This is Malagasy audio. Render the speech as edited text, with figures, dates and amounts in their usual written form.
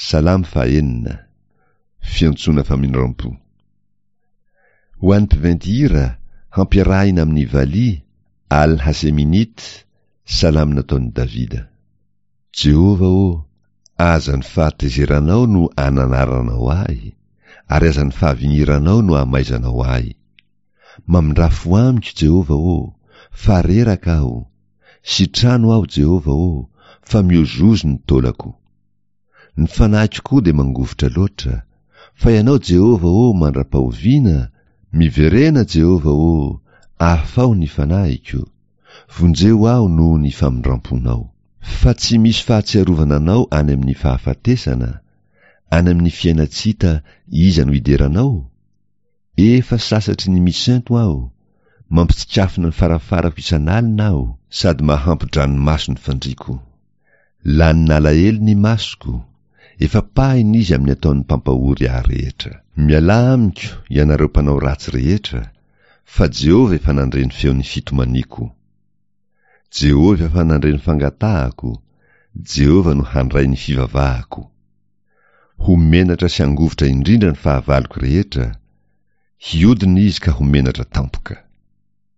Salamo fahenina. Fiantsoana famindram-po. Ho an'ny mpiventy hira, hampiarahina amin'ny valiha, Al-Haseminit, salamo nataon'i Davida. Jehovah ô, aza ny fahatezeranao no ananaranao ahy, ary aza ny fahavigniranao no amaizanao ahy. Mamindrà fo amiko, Jehovah ô, fa reraka aho. Sitrano aho, Jehovah ô, fa miozozo ny taolako. Ny fanahiko koa dia mangovitra loatra. Fa Ianao, Jehovah ô, mandra-pahoviana? Miverena, Jehovah ô, afaho ny fanahiko. Vonjeo aho noho ny famindram-ponao. Fa tsy misy fahatsiarovana anao any amin'ny fahafatesana, any amin'ny fiainan-tsy hita iza no hidera anao? Efa sasatry ny misento aho, mampitsikafona ny farafarako isan'alina aho, sady mahampo-dranomaso ny fandriako. Lanin'alahelo ny masoko, efa pahina izy amin'ny ataon'ny mpampahory ahy rehetra. Mialà amiko, ianareo mpanao ratsy rehetra, fa Jehovah efa nandre ny feon'ny fitomaniako. Jehovah efa nandre ny fangatahako, Jehovah no handray ny fivavahako. Ho menatra sy hangovitra indrindra ny fahavaloko rehetra, hiodina izy ka ho menatra tampoka.